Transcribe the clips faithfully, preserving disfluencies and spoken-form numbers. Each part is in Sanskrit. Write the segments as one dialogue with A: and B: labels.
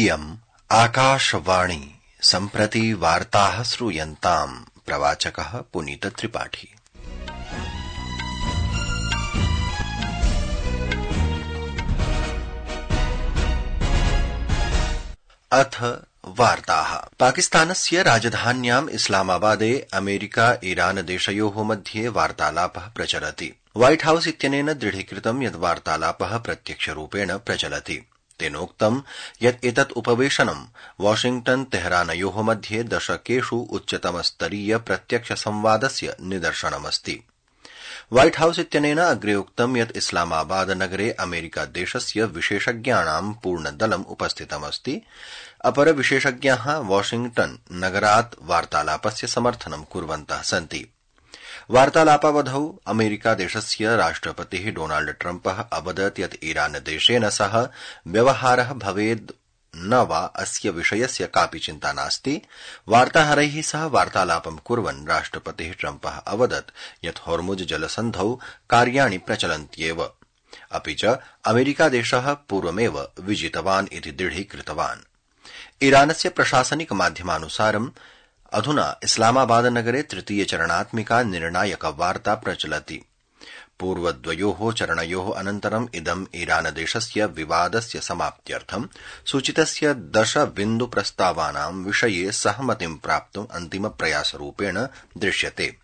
A: इयम् आकाशवाणी सम्प्रति वार्ताः श्रूयन्ताम् प्रवाचकः पुनीत त्रिपाठी। अथ वार्ताः। पाकिस्तानस्य राजधान्याम् इस्लामाबादे अमेरिका ईरान देशयोः मध्ये वार्तालापः प्रचलति। व्हाइट हाउस इत्यनेन दृढीकृतं यत् वार्तालापः प्रत्यक्षरूपेण प्रचलति। तेनोक्तं यत् एतत् उपवेशनं वाशिंग्टन तेहरानयोः मध्ये दशकेषु उच्चतमस्तरीय प्रत्यक्ष संवादस्य निदर्शनमस्ति। व्हाइट हाउस इत्यनेन अग्रे उक्तं यत् इस्लामाबाद नगरे अमेरिका देशस्य विशेषज्ञानां पूर्णदलम् उपस्थितमस्ति। अपर विशेषज्ञाः वाशिंग्टन नगरात् वार्तालापस्य समर्थनं कुर्वन्तः सन्ति। वार्तालापावधौ अमेरिका देशस्य राष्ट्रपतिः डोनाल्ड ट्रम्पः अवदत् यत् ईरान देशेन सह व्यवहारः भवेद् न वा अस्य विषयस्य कापि चिन्ता नास्ति। वार्ताहरैः सह वार्तालापं कुर्वन् राष्ट्रपतिः ट्रम्पः अवदत् यत् होर्मुज जलसन्धौ कार्याणि प्रचलन्त्येव, अपि च अमेरिकादेशः पूर्वमेव विजितवान् इति दृढीकृतवान्। ईरानस्य प्रशासनिक माध्यमानुसारम् अधुना इस्लामाबाद नगरे तृतीय चरणात्मिका निर्णायक वार्ता प्रचलति। पूर्वद्वयोः चरणयोः अनन्तरम् इदम् ईरानदेशस्य विवादस्य समाप्त्यर्थं सूचितस्य दश बिन्दु प्रस्तावानां विषये सहमतिं प्राप्तुम् अन्तिमप्रयासरूपेण दृश्यते।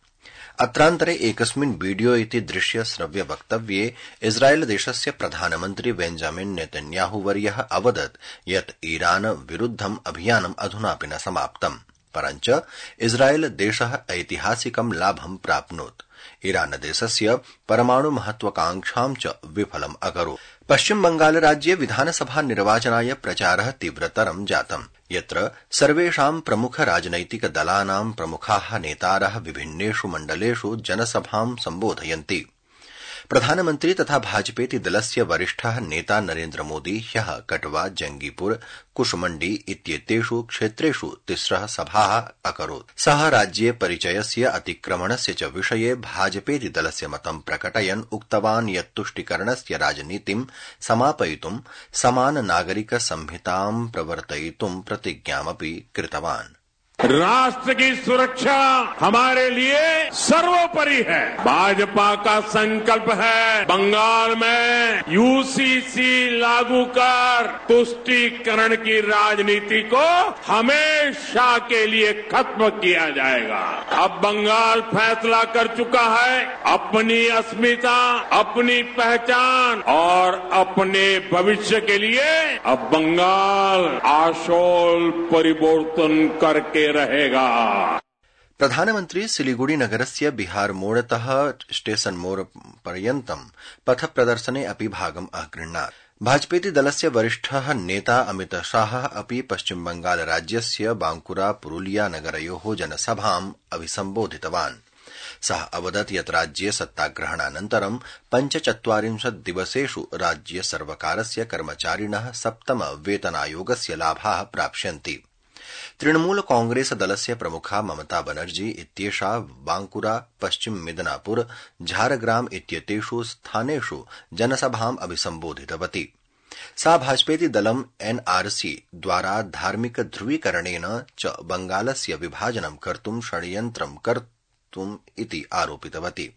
A: अत्रान्तरे एकस्मिन् वीडियो इति दृश्य श्रव्य वक्तव्ये इस्राएल देशस्य प्रधानमन्त्री बेंजामिन नेतन्याहुवर्यः अवदत् यत् ईरान विरुद्धम् अभियानम् अधुनापि न समाप्तम्, परञ्च इस्राएल देशः ऐतिहासिकं लाभं प्राप्नोत्। ईरान देशस्य परमाणु महत्वाकांक्षां च विफलम् अकरोत्। पश्चिम बंगाल राज्ये विधानसभा निर्वाचनाय प्रचारः तीव्रतरं जातम्, यत्र सर्वेषां प्रमुख राजनैतिक दलानां प्रमुखाः नेतारः विभिन्नेषु मण्डलेषु जनसभां सम्बोधयन्ति। प्रधानमन्त्री तथा भाजपेति दलस्य वरिष्ठः नेता नरेन्द्र मोदी ह्यः कटवा, जंगीपुर, कुशमण्डी इत्येतेषु क्षेत्रेषु तिस्रः सभाः अकरोत्। सः राज्ये परिचयस्य अतिक्रमणस्य च विषये भाजपेति दलस्य मतं प्रकटयन् उक्तवान् यत् तुष्टिकरणस्य राजनीतिं समापयितुं समान नागरिक संहितां प्रवर्तयितुं प्रतिज्ञामपि कृतवान्।
B: राष्ट्र की सुरक्षा हमारे लिए सर्वोपरि है। भाजपा का संकल्प है बंगाल में यूसीसी लागू कर तुष्टीकरण की राजनीति को हमेशा के लिए खत्म किया जाएगा। अब बंगाल फैसला कर चुका है अपनी अस्मिता, अपनी पहचान और अपने भविष्य के लिए अब बंगाल आशोल परिवर्तन करके रहेगा।
A: प्रधानमन्त्री सिलीगुड़ी नगरस्य बिहार मोड़तः स्टेशन मोड़ पर्यन्तं पथ प्रदर्शने अपि भागम् अगृह्णात्। भाजपेति दलस्य वरिष्ठः नेता अमित शाहः अपि पश्चिम बंगाल राज्यस्य बांकुरा पुरुलिया नगरयोः जनसभाम् अभिसम्बोधितवान्। सः अवदत् यत् राज्ये सत्ताग्रहणानन्तरं पञ्चचत्वारिंशत् दिवसेषु राज्य सर्वकारस्य कर्मचारिणः सप्तम वेतनायोगस्य लाभाः प्राप्स्यन्ति। तृणमूल कांग्रेस दलस्य प्रमुखा ममता बनर्जी इत्येषा बांकुरा, पश्चिम मिदनापुर, झारग्राम इत्येतेषु स्थानेषु जनसभाम् अभिसम्बोधितवती। सा भाजपेति दलम् एनआरसी द्वारा धार्मिक ध्रुवीकरणेन च बंगालस्य विभाजनं कर्तुं षड्यन्त्रं कर्तुम् इति आरोपितवती।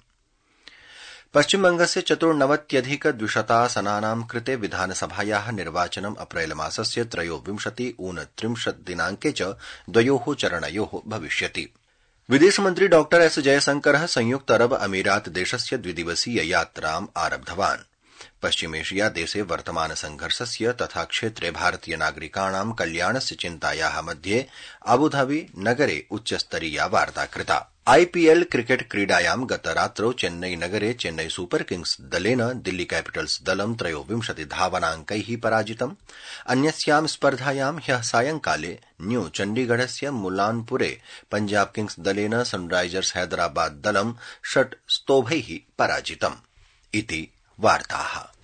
A: पश्चिमबंगस्य चतुर्नवत्यधिक द्विशतासनानां कृते विधानसभायाः निर्वाचनम् अप्रैल मासस्य त्रयोविंशति ऊनत्रिंशत् दिनाङ्के च द्वयोः चरणयोः भविष्यति। विदेशमन्त्री डॉ एस जयशंकरः संयुक्त अरब अमीरात देशस्य द्विदिवसीय यात्राम् आरब्धवान्। पश्चिमेशिया देशे वर्तमान संघर्षस्य तथा क्षेत्रे भारतीय नागरिकाणां कल्याणस्य चिन्तायाः मध्ये अबुधाबी नगरे उच्चस्तरीया वार्ता कृता। आईपीएल क्रिकेट क्रीडायां गतरात्रौ चेन्नई नगरे चेन्नई सुपर किंग्स दलेन दिल्ली कैपिटल्स दलं त्रयोविंशति धावनाङ्कैः पराजितम्। अन्यस्यां स्पर्धायां ह्यः सायंकाले न्यू चण्डीगढस्य मुलानपुरे पंजाब किंग्स दलेन सनराइजर्स हैदराबाद दलं षट् स्तोभैः पराजितम्। इति वार्ताः।